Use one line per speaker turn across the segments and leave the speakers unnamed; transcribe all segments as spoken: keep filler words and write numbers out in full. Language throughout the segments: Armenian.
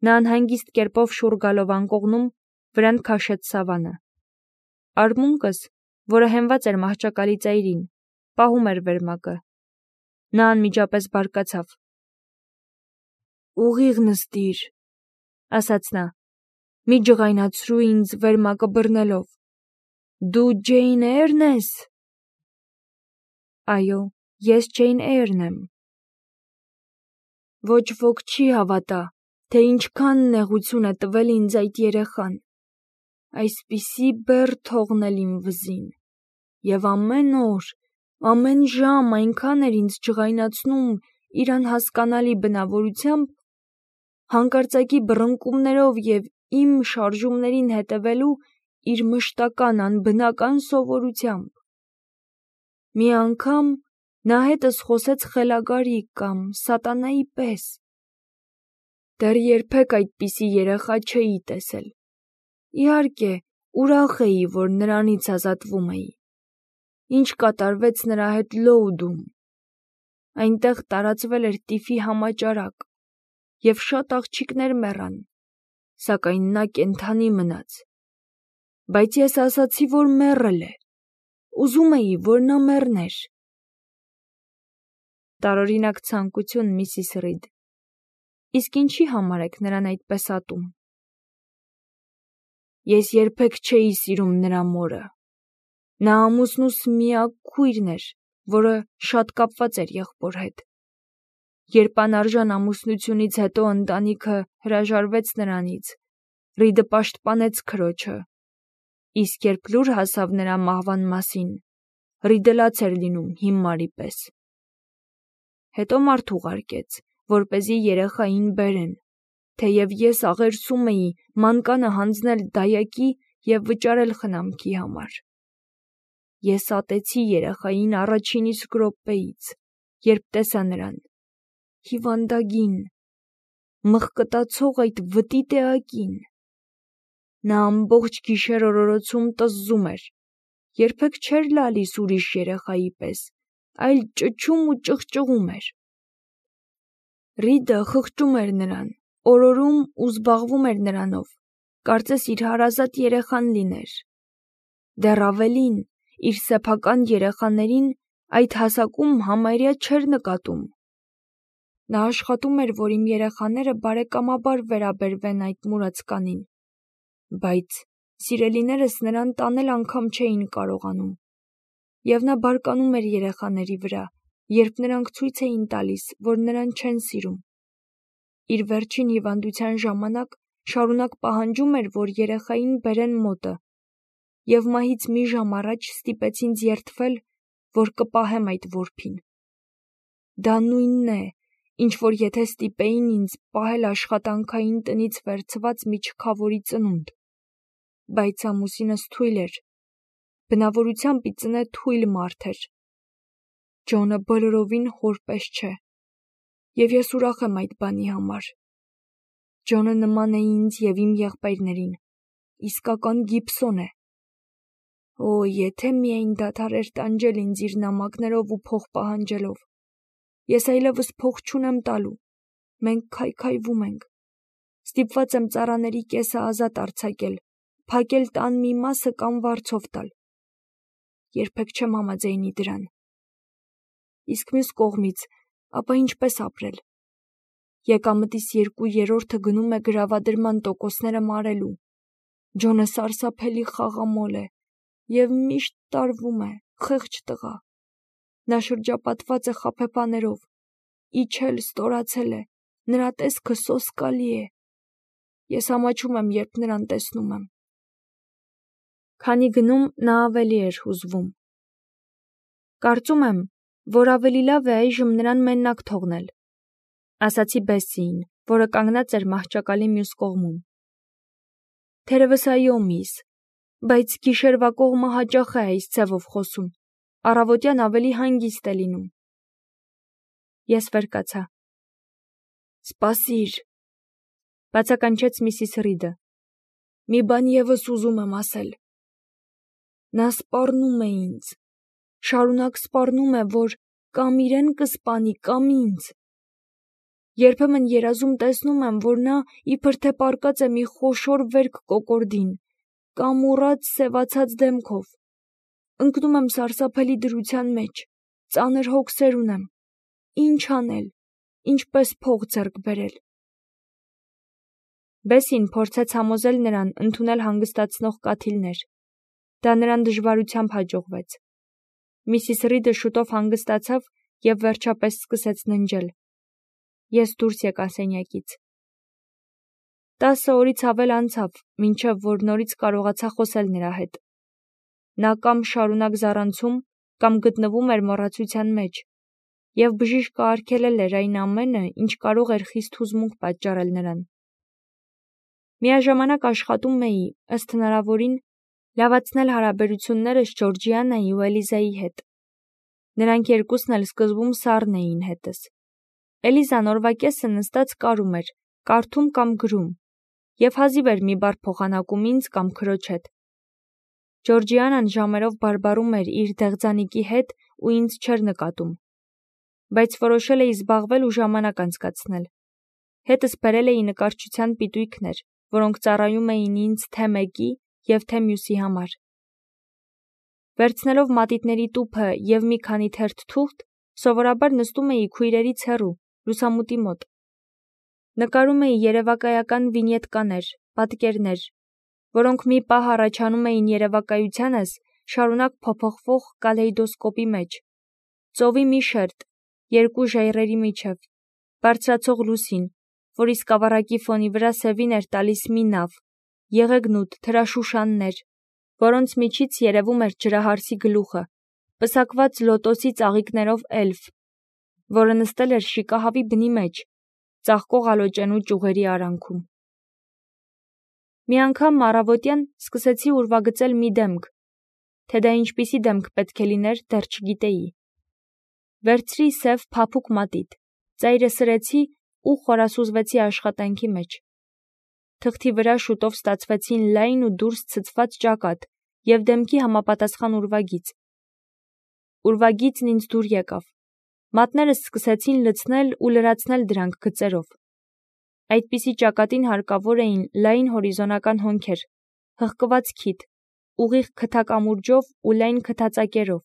Նա անհանգիստ կերպով շուռ գալով անկողնում վրան քաշեց Սավանը։ Արմունկս, որը հենված էր մահճակալի ծայրին, պահում էր վերմակը։ Նա անմիջապես բարկացավ։ «Ուղիղ նստիր», ասաց նա, «մի ջղայնացրու ինձ վերմակը բռնելով։ Դու Ջեյն Էյրն ես»։ Այո, ես Ջեյն Էյրն եմ։ Ոչ ոք չի հավատա, թե ինչքան նեղություն է տվել ինձ այդ երեխան, այսպիսի բեռ թողնել իմ վզին, և ամեն օր, ամեն ժամ այնքան էր ինձ ջղայնացնում իր անհասկանալի բնավորությամբ, հանկարծակի բռնկումներով և իմ շարժումներին հետևելու իր մշտական անբնական սովորությամբ։ Մի անգամ նա հետս խոսեց խելագարի կամ սատանայի պես։ Դեռ երբեք այդպիսի երեխա չէի տեսել։ Իհարկե, ուրախ էի, որ նրանից ազատվում էի։ Ինչ կատարվեց նրա հետ Լոուդում։ Այնտեղ տարածվել էր տիֆի համաճարակ, և շատ աղջիկներ մեռան, սակայն նա կենդանի մնաց։ Բայց ես ասացի, որ մեռել է։ Ուզում էի, որ նա մեռներ։ Տարօրինակ ցանկություն, Միսիս Ռիդ։ Իսկ ինչի համար եք նրան այդպես ատում։ Ես երբեք չէի սիրում նրա մորը։ Նա ամուսնուս միակ քույրն էր, որը շատ կապված էր եղբոր հետ։ Երբ անարժան ամուսնությունից հետո ընտանիքը հրաժարվեց նրանից, Ռիդը պաշտպանեց քրոջը, իսկ երբ լուր հասավ նրա մահվան մասին, Ռիդը լաց էր լինում հիմարի պես։ Հետո մարդ ուղարկեց, որպեսզի երեխային բերեն, թեև ես աղերսում էի մանկանը հանձնել դայակի և վճարել խնամքի համար։ Ես ատեցի երեխային առաջին իսկ րոպեից, երբ տեսա նրան, հիվանդագին, մղկտացող այդ վտիտ էակին։ Նա ամբողջ գիշեր օրորոցում տզզում էր, երբեք չէր լալիս ուրիշ երեխայի պես, այլ ճչում ու ճղճղում էր։ Ռիդը խղճում էր նրան, օրորում ու զբաղվում էր նրանով, կարծես իր հարազատ երեխան լիներ։ Դեռ ավելին, իր սեփական երեխաներին այդ հասակում համարյա չէր նկատում։ Նա աշխատում էր, որ իմ երեխաները բարեկամաբար վերաբերվեն այդ մուրացկանին, բայց սիրելիներս նրան տանել անգամ չէին կարողանում, և նա բարկանում էր երեխաների վրա, երբ նրանք ցույց էին տալիս, որ նրան չեն սիրում։ Իր վերջին հիվանդության ժամանակ շարունակ պահանջում էր, որ երեխային բերեն մոտը, և մահից մի ժամ առաջ ստիպեց ինձ երդվել, որ կպահեմ այդ որբին։ Դա նույնն է, ինչ որ եթե ստիպեին ինձ պահել աշխատանքային տնից վերցված մի չքավորի ծնունդ, բայց ամուսինս թույլ էր, բնավորությամբ ի ծնե թույլ մարդ էր։ Ջոնը բոլորովին հոր պես չէ, և ես ուրախ եմ այդ բանի համար։ Ջոնը նման է ինձ և իմ եղբայրներին, իսկական Գիբսոն է։ Օ, եթե միայն դադարեր տանջել ինձ իր նամակներով ու փող պահանջելով։ Ես այլևս փող չունեմ տալու, մենք քայքայվում ենք։ Ստիպված եմ ծառաների կեսը ազատ արձակել, փակել տան մի մասը կամ վարձով տալ։ Երբեք չեմ համաձայնի դրան։ Իսկ մյուս կողմից, ապա ինչպես ապրել։ Եկամտիս երկու երրորդը գնում է գրավադրման տոկոսները մարելու։ Ջոնը սարսափելի խաղամոլ է և միշտ տարվում է, խեղճ տղա։ Նա շրջապատված է խաբեբաներով, իջել, ստորացել է, նրա տեսքը սոսկալի է։ Ես ամաչում եմ, երբ նրան տեսնում եմ։ Քանի գնում նա ավելի էր հուզվում։ Կարծում եմ, որ ավելի լավ է այժմ նրան մենակ թողնել, ասացի Բեսսիին, որը կանգնած էր մահճակալի մյուս կողմում։ Թերևս այո, միս, բայց գիշերվա կողմը հաճախ է այս ձևով խոսում, առավոտյան ավելի հանգիստ է լինում։ Ես վեր կացա։ Սպասիր, բացականչեց Միսիս Ռիդը։ Մի բան ևս ուզում եմ ասել։ Նա սպառնում է ինձ, շարունակ սպառնում է, որ կամ իրեն կսպանի, կամ ինձ։ Երբեմն երազում տեսնում եմ, որ նա իբր թե պառկած է մի խոշոր վերք կոկորդին, կամ ուռած սևացած դեմքով։ Ընկնում եմ սարսափելի դրության մեջ, ծանր հոգսեր ունեմ։ Ինչ անել, ինչպես փող ձեռք բերել։ Բեսին փորձեց համոզել նրան ընդունել հանգստացնող կաթիլներ։ Դա նրան դժվարությամբ հաջողվեց։ Միսիս Ռիդը շուտով հանգստացավ և վերջապես սկսեց ննջել։ Ես դուրս եկա սենյակից։ Տասը օրից ավել անցավ, մինչև որ նորից կարողացա խոսել նրա հետ։ Նա կամ շարունակ զառանցում, կամ գտնվում էր մոռացության մեջ, և բժիշկը արգելել էր այն ամենը, ինչ կարող էր խիստ հուզմունք պատճառել նրան։ Միաժամանակ աշխատում էի, ըստ հնարավորին, լավացնել հարաբերություններս Ջորջիանայի ու Էլիզայի հետ։ Նրանք երկուսն էլ սկզբում սառն էին հետս։ Էլիզան օրվա կեսը նստած կարում էր, կարդում կամ գրում, և հազիվ էր մի բառ փոխանակում ինձ կամ քրոջ հետ։ Ջորջիանան ժամերով բարբառում էր իր դեղձանիկի հետ ու ինձ չէր նկատում։ Բայց որոշել էի զբաղվել ու ժամանակ անցկացնել։ Հետս բերել էի նկարչության պիտույքներ, որոնք ծառայում էին ինձ թե մեկի և թե մյուսի համար։ Վերցնելով մատիտների տուփը և մի քանի թերթ թուղթ, սովորաբար նստում էի քույրերից հեռու, լուսամուտի մոտ։ Նկարում էի երևակայական վինյետկաներ, պատկերներ, որոնք մի պահ առաջանում էին երևակայությանս շարունակ փոփոխվող կալեյդոսկոպի մեջ։ Ծովի մի շերտ, երկու ժայռերի միջև, բարձրացող լուսին, որի սկավառակի ֆոնի վրա սևին էր տալիս մի նավ, եղեգնուտ թրաշուշաններ, որոնց միջից երևում էր ջրահարսի գլուխը, պսակված լոտոսի ծաղիկներով էլֆ, որը նստել էր շիկահավի բնի մեջ, ծաղկող ալոճենու ճյուղերի արանքում։ Մի անգամ առավոտյան սկսեցի ուրվագծել մի դեմք, թե դա ինչպիսի դեմք պետք է լիներ, դեռ չգիտեի։ Վերցրի սև փափուկ մատիտ, ծայրը սրեցի ու խորասուզվեցի աշխատանքի մեջ։ Թղթի վրա շուտով ստացվեցին լայն ու դուրս ցցված ճակատ և դեմքի համապատասխան ուրվագիծ։ Ուրվագիծն ինձ դուր եկավ։ Մատներս սկսեցին լցնել ու լրացնել դրանք գծերով։ Այդպիսի ճակատին հարկավոր էին լայն հորիզոնական հոնքեր, հղկված քիթ, ուղիղ քթակամուրջով ու լայն քթածակերով,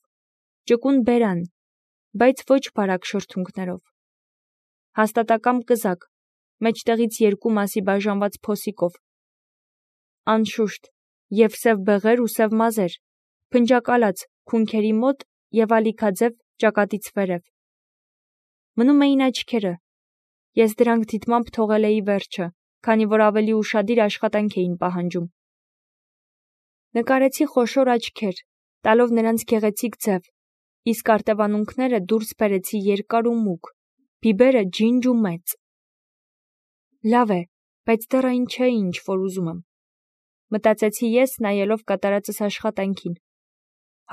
ճկուն բերան, բայց ոչ բարակ շրթունքներով, հաստատակամ կզակ, մեջտեղից երկու մասի բաժանված փոսիկով, անշուշտ, և սև բեղեր ու սև մազեր, փնջակալած քունքերի մոտ և ալիքաձև ճակատից վերև։ Մնում էին աչքերը։ Ես դրանք դիտմամբ թողել էի վերջը, քանի որ ավելի ուշադիր աշխատանք էին պահանջում։ Նկարեցի խոշոր աչքեր, տալով նրանց գեղեցիկ ձև, իսկ արտևանունքները դուրս բերեցի երկար ու մուգ, բիբերը ջինջ ու մեծ։ Լավ է, բայց դեռ այն չէ, ինչ որ ուզում եմ, մտածեցի ես, նայելով կատարածս աշխատանքին։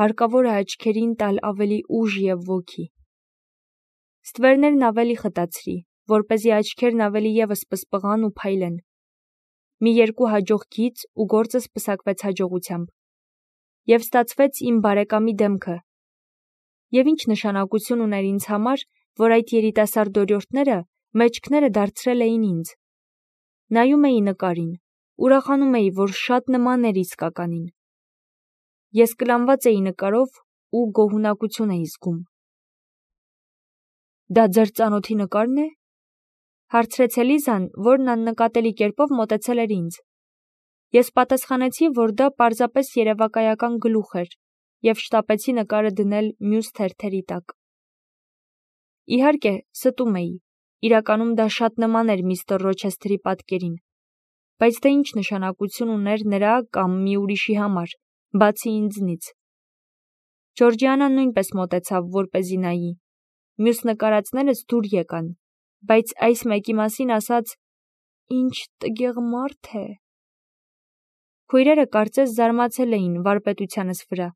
Հարկավոր է աչքերին տալ ավելի ուժ և ոգի։ Ստվերներն ավելի խտացրի, որպեսզի աչքերն ավելի ևս պսպղան ու փայլեն։ Մի երկու հաջող գիծ ու գործս պսակվեց հաջողությամբ։ Եվ ստացվեց իմ բարեկամի դեմքը։ Եվ ինչ նշանակություն ուներ ինձ համար, որ այդ երիտասարդ օրիորդները մեջքները դարձրել էին ինձ։ Նայում էի նկարին, ուրախանում էի, որ շատ նման էր իսկականին։ Ես կլանված էի նկարով ու գոհունակություն էի զգում։ Դա ձեր ծանոթի նկարն է, հարցրեց Էլիզան, որն աննկատելի կերպով մոտեցել էր ինձ։ Ես պատասխանեցի, որ դա պարզապես երևակայական գլուխ էր, և շտապեցի նկարը դնել մյուս թերթերի տակ։ Իհարկե, ստում էի, իրականում դա շատ նման էր միստր Ռոչեսթերի պատկերին, բայց դա ինչ նշանակություն ուներ նրա կամ մի ուրիշի համար, բացի ինձնից։ Ջորջիանան նույնպես մոտեցավ, որպեսզի նայի։ Մյուս նկարածներս դուր եկան, բայց այս մեկի մասին ասաց. «Ինչ տգեղ մարդ է»։ Քույրերը կարծես զարմացել էին վարպետությանս վրա։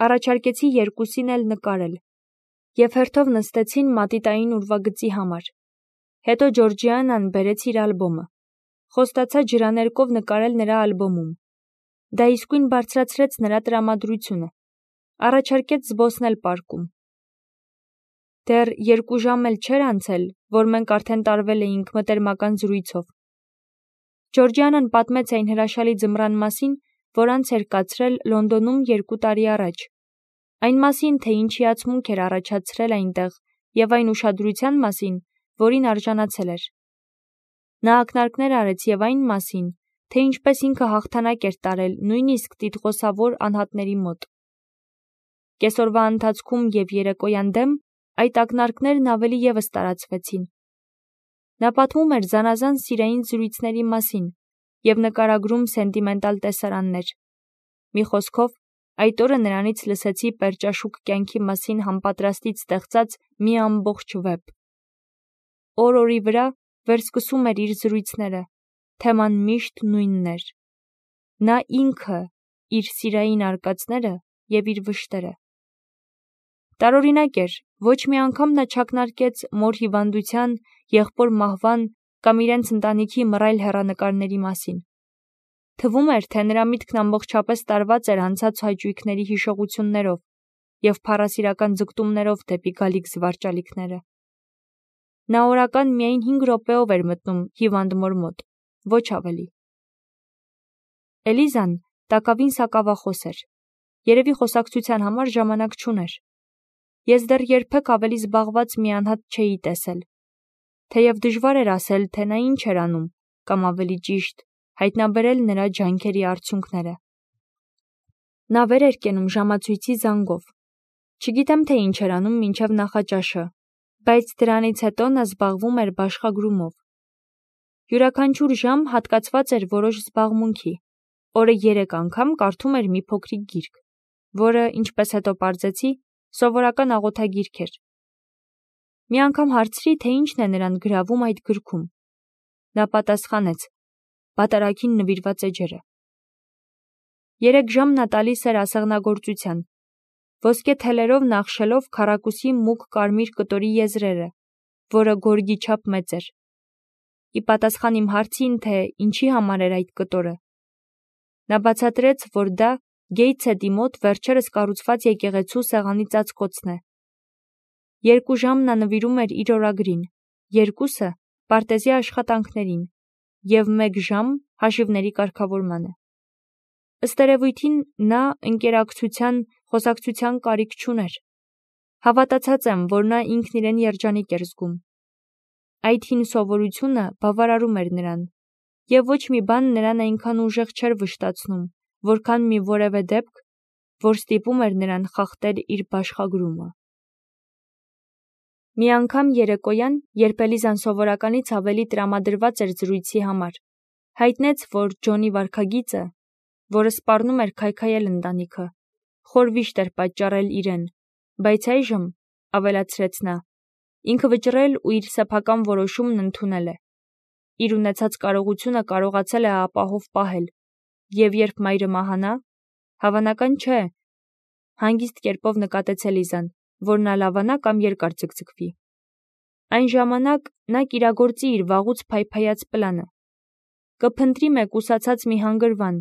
Առաջարկեցի երկուսին էլ նկարել, և հերթով նստեցին մատիտային ուրվագծի համար։ Հետո Ջորջիանան բերեց իր ալբոմը։ Խոստացա ջրաներկով նկարել նրա ալբոմում։ Դա իսկույն բարձրացրեց նրա տրամադրությունը։ Առաջարկեց զբոսնել պարկում։ Դեռ երկու ժամ էլ չէր անցել, որ մենք արդեն տարվել էինք մտերմական զրույցով։ Ջորջիանան պատմեց այն հրաշալի ձմռան մասին, որ անց էր կացրել Լոնդոնում երկու տարի առաջ։ Այն մասին, թե ինչ հիացմունք էր առաջացրել այնտեղ, եւ այն ուշադրության մասին, որին արժանացել էր։ Նա ակնարկներ արեց եւ այն մասին, թե ինչպես ինքը հաղթանակ էր տարել նույնիսկ տիտղոսավոր անհատների մոտ։ Կեսօրվա ընթացքում եւ երեկոյան դեմ այդ ակնարկներն ավելի եւս տարածվեցին։ Նա պատմում էր զանազան սիրային զրույցների մասին եւ նկարագրում սենտիմենտալ տեսարաններ։ Մի խոսքով, այդ օրը նրանից լսեցի պերճաշուք կյանքի մասին համապատրաստից ստեղծած մի ամբողջ վեպ։ Օր-օրի վրա վերսկսում էր իր զրույցները, թեման միշտ նույնն էր։ Նա ինքը, իր սիրային արկածները եւ իր վշտերը։ Տարօրինակ էր, ոչ մի անգամ նա չակնարկեց մոր հիվանդության, եղբոր մահվան կամ իրենց ընտանիքի մռայլ հեռանկարների մասին։ Թվում էր, թե նրա միտքն ամբողջապես տարված էր անցած հաճույքների հիշողություններով եւ փառասիրական ձգտումներով դեպի գալիք զվարճալիքները։ Նա օրական միայն հինգ րոպեով էր մտնում հիվանդ մոր մոտ, ոչ ավելի։ Էլիզան տակավին սակավախոս էր։ Երևի խոսակցության համար ժամանակ չուներ։ Ես դեռ երբեք ավելի զբաղված մի անհատ չէի տեսել։ Թեև դժվար էր ասել, թե նա ինչ էր անում, կամ ավելի ճիշտ, հայտնաբերել նրա ջանքերի արդյունքները։ Նա վեր էր կենում ժամացույցի զանգով։ Չգիտեմ, թե ինչ էր անում մինչև նախաճաշը, բայց դրանից հետո նա զբաղվում էր բաշխագրումով։ Յուրաքանչյուր ժամ հատկացված էր որոշ զբաղմունքի։ Օրը երեք անգամ կարդում էր մի փոքրիկ գիրք, որը, ինչպես հետո պարզեցի, սովորական աղոթագիրք էր։ Մի անգամ հարցրի, թե ինչն է նրան գրավում այդ գրքում։ Նա պատասխանեց. «Պատարագին նվիրված էջերը»։ Երեք ժամ նա տալիս էր ասեղնագործության, ոսկե թելերով նախշելով քառակուսի մուգ կարմիր կտորի եզրերը, որը գորգի չափ մեծ էր։ Ի պատասխան իմ հարցին, թե ինչի համար էր այդ կտորը, նա բացատրեց, որ դա Գեյթսեդի մոտ վերջերս կառուցված եկեղեցու սեղանի ծածկոցն է։ Երկու ժամ նա նվիրում էր իր օրագրին, երկուսը պարտեզի աշխատանքներին եւ մեկ ժամ հաշիվների կարգավորմանը։ Ըստ երևույթին նա ընկերակցության, խոսակցության կարիք չուներ։ Հավատացած եմ, որ նա ինքն իրեն երջանիկ էր զգում։ Այդ հին սովորությունը բավարարում էր նրան, եւ ոչ մի բան նրան այնքան ուժեղ չէր վշտացնում, որքան մի որևէ դեպք, որ ստիպում էր նրան խախտել իր բաշխագրումը։ Մի անգամ երեկոյան, երբ Էլիզան սովորականից ավելի տրամադրված էր զրույցի համար, հայտնեց, որ Ջոնի վարքագիծը, որը սպառնում էր քայքայել ընտանիքը, խոր վիշտ էր պատճառել իրեն, բայց այժմ, ավելացրեց նա, ինքը վճռել ու իր սեփական որոշումն ընդունել է։ Իր ունեցած կարողությունը կարողացել է ապահով պահել, եւ երբ մայրը մահանա, հավանական չէ, հանգիստ կերպով նկատեց Էլիզան, որ նա լավանա կամ երկար ձգձգվի։ Այն ժամանակ նա կիրագործի իր վաղուց փայփայած պլանը։ Կփնտրի մեկուսացած մի հանգրվան,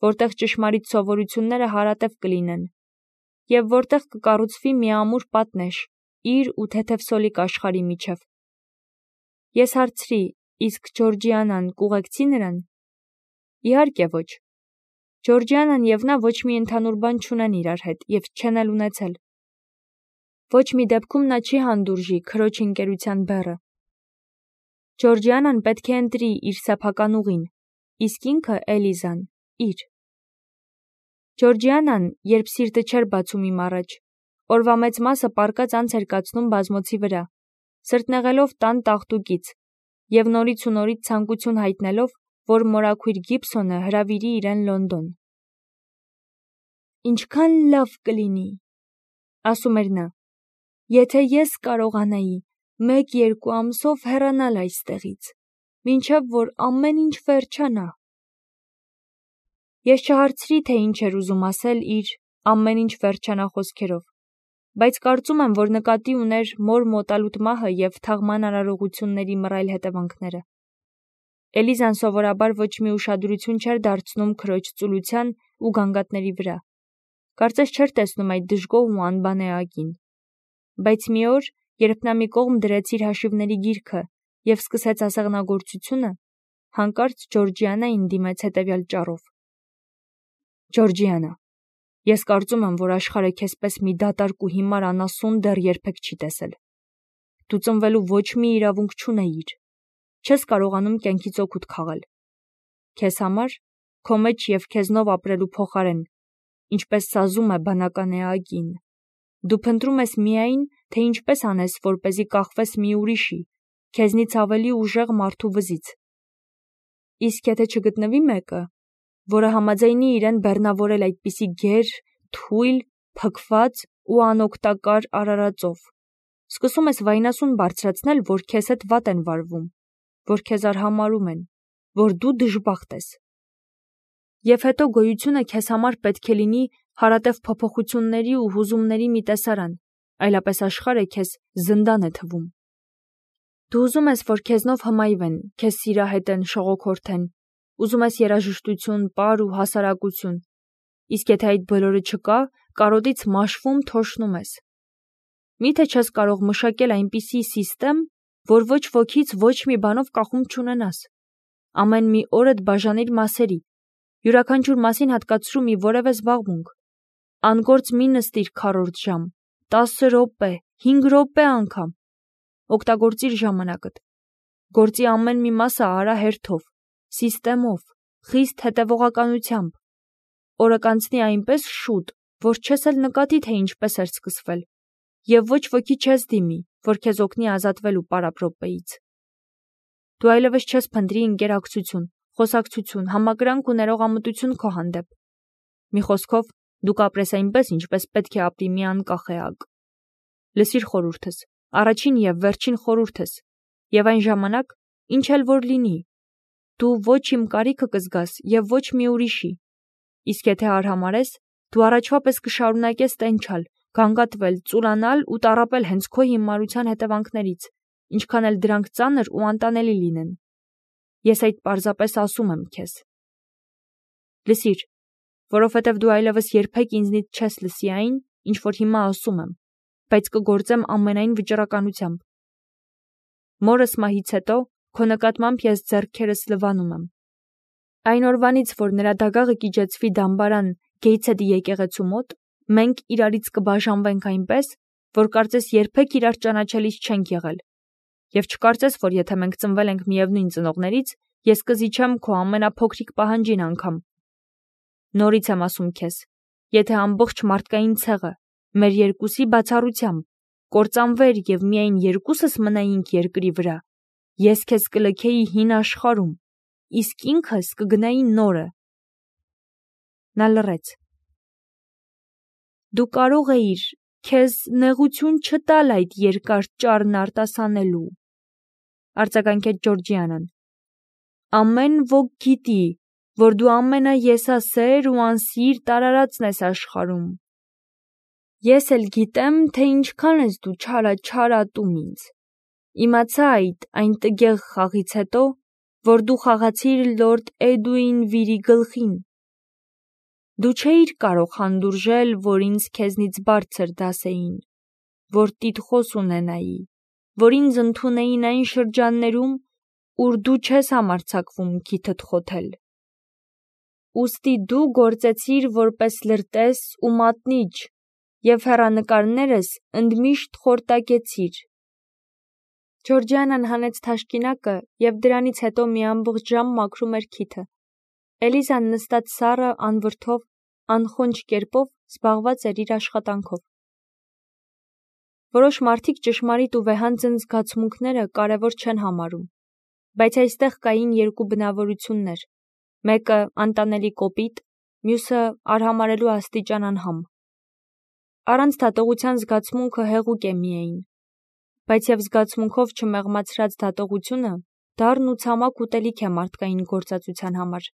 որտեղ ճշմարիտ սովորությունները հարատև կլինեն, եւ որտեղ կկառուցվի մի ամուր պատնեշ իր ու թեթև սոլիկ աշխարհի միջև։ Ես հարցրի, իսկ Ջորջիանան կուղեկցի նրան։ Իհարկե ոչ։ Ջորջիանան եւ նա ոչ մի ընդհանուր բան չունեն իրար հետ եւ չեն էլ ունեցել։ Ոչ մի դեպքում նա չի հանդուրժի քրոջ ընկերության բեռը։ Ջորջիանան պետք է ընտրի իր սեփական ուղին, իսկ ինքը Էլիզան՝ իր։ Ջորջիանան, երբ սիրտը չէր բացում իմ առաջ, օրվա մեծ մասը պառկած անց էր կացնում բազմոցի վրա, սրտնեղելով տան տաղտուկից եւ նորից ու նորից ցանկություն հայտնելով, որ մորաքույր Գիբսոնը հրավիրի իրեն Լոնդոն։ Ինչքան լավ կլինի, ասում էր նա, եթե ես կարողանայի մեկ-երկու ամսով հեռանալ այստեղից, մինչև որ ամեն ինչ վերջանա։ Ես չհարցրի, թե ինչ էր ուզում ասել իր ամեն ինչ վերջանա խոսքերով, բայց կարծում եմ, որ նկատի ուներ մոր մոտալուտ մահը եւ թաղման արարողությունների մռայլ հետևանքները։ Էլիզան սովորաբար ոչ մի ուշադրություն չէր դարձնում քրոջ ծուլության ու գանգատների վրա։ Կարծես չէր տեսնում այդ դժգոհ ու անբանե ակին։ Բայց մի օր, երբ նա մի կողմ դրեց իր հաշիվների գիրքը և սկսեց ասեղնագործությունը, հանկարծ Ջորջիանային դիմեց հետևյալ ճառով. Ջորջիանա, ես կարծում եմ, որ աշխարհը քեզպես մի դատարկ ու հիմար անասուն դեռ երբեք չի տեսել։ Դու ծնվելու ոչ մի իրավունք չունեիր, չես կարողանում կյանքից օգուտ քաղել։ Քեզ համար, քո մեջ և քեզնով ապրելու փոխարեն, ինչպես սազում է բանական էակին, դու փնտրում ես միայն, թե ինչպես անես, որպեսզի կախվես մի ուրիշի, քեզնից ավելի ուժեղ մարդու վզից։ Իսկ եթե չգտնվի մեկը, որը համաձայնի իրեն բեռնավորել այդպիսի գեր, թույլ, փքված ու անօգտակար արարածով, սկսում ես վայնասուն բարձրացնել, որ քեզ հետ վատ են վարվում, որ քեզ արհամարհում են, որ դու դժբախտ ես։ Եվ հետո գոյությունը քեզ համար պետք է լինի հարատև փոփոխությունների ու հուզումների մի տեսարան, այլապես աշխարհը քեզ զնդան է թվում։ Դու ուզում ես, որ քեզնով հմայվեն, քեզ սիրահետեն, շողոքորթեն, ուզում ես երաժշտություն, պար ու հասարակություն, իսկ եթե այդ բոլորը չկա, կարոտից մաշվում թոշնում ես։ Միթե չես կարող մշակել այնպիսի սիստեմ, որ ոչ ոքից ոչ մի բանով կախում չունենաս։ Ամեն մի օրդ բաժանիր մասերի, յուրաքանչյուր մասին հատկացրու մի որևէ զբաղմունք։ Անգործ մի նստիր քառորդ ժամ, տասը րոպե, հինգ րոպե անգամ։ Օգտագործիր ժամանակդ։ Գործի ամեն մի մասը արա հերթով, սիստեմով, խիստ հետևողականությամբ։ Օրը կանցնի այնպես շուտ, որ չես էլ նկատի, թե ինչպես էր սկսվել, և ոչ ոքի չես դիմի, որ քեզ օգնի ազատվել պարապրոպեից։ Դու այլևս չես փնտրի ընկերակցություն, խոսակցություն, համակրանք ու ներողամտություն քո հանդեպ։ Մի խոսքով, դու կապրես այնպես, ինչպես պետք է ապրի մի անկախ էակ։ Լսիր խորհուրդս, առաջին և վերջին խորհուրդս, և այն ժամանակ, ինչ էլ որ լինի, դու ոչ իմ կարիքը կզգաս և ոչ մի ուրիշի։ Իսկ եթե արհամարհես, դու առաջվա պես կշարունակես տենչալ, գանգատվել, ծուլանալ ու տառապել հենց քո հիմարության հետևանքներից, ինչքան էլ դրանք ծանր ու անտանելի լինեն։ Ես այդ պարզապես ասում եմ քեզ։ Լսիր, որովհետև դու այլևս երբեք ինձնից չես լսի այն, ինչ որ հիմա ասում եմ, բայց կգործեմ ամենայն վճռականությամբ։ Մորս մահից հետո քո նկատմամբ ես ձեռքերս լվանում եմ։ Այն օրվանից, որ նրա դագաղը կիջեցվի դամբարան Գեյթսեդի եկեղեցու մոտ, մենք իրարից կբաժանվենք այնպես, որ կարծես երբեք իրար ճանաչելիս չենք եղել, և չկարծես, որ եթե մենք ծնվել ենք միևնույն ծնողներից, ես կզիջեմ քո ամենափոքրիկ պահանջին անգամ։ Նորից եմ ասում քեզ, եթե ամբողջ մարդկային ցեղը, մեր երկուսի բացառությամբ, կործանվեր և միայն երկուսս մնայինք երկրի վրա, ես քեզ կլքեի հին աշխարհում, իսկ ինքս կգնայի նորը։ Նա լռեց։ Դու կարող էիր քեզ նեղություն չտալ այդ երկար ճառն արտասանելու, արձագանքեց Ջորջիանան։ Ամեն ոք գիտի, որ դու ամենաեսասեր ու անսիրտ արարածն ես աշխարհում։ Ես էլ գիտեմ, թե ինչքան ես դու չարաչարատում ինձ։ Իմացա այդ այն տգեղ խաղից հետո, որ դու խաղացիր լորդ Էդուին գլխին։ Դու չէիր կարող հանդուրժել, որ ինձ քեզնից բարձր դասեին, որ տիտղոս ունենայի, որ ինձ ընդունեին այն շրջաններում, ուր դու չես համարձակվում քիթդ խոթել։ Ուստի դու գործեցիր որպես լրտես ու մատնիչ և հեռանկարներս ընդմիշտ խորտակեցիր։ Ջորջիանան հանեց թաշկինակը և դրանից հետո մի ամբողջ ժամ մաքրում էր քիթը։ Էլիզան նստած սառը, անվրդով, անխոնջ կերպով զբաղված էր իր աշխատանքով։ Որոշ մարդիկ ճշմարիտ ու վեհանձն զգացմունքները կարևոր չեն համարում, բայց այստեղ կային երկու բնավորություններ, մեկը անտանելի կոպիտ, մյուսը արհամարհելու աստիճան անհամ։ Առանց դատողության զգացմունքը հեղուկ է միայն, բայց և զգացմունքով չմեղմացրած դատողությունը դառն ու ցամաք ուտելիք է մարդկային գործածության համար։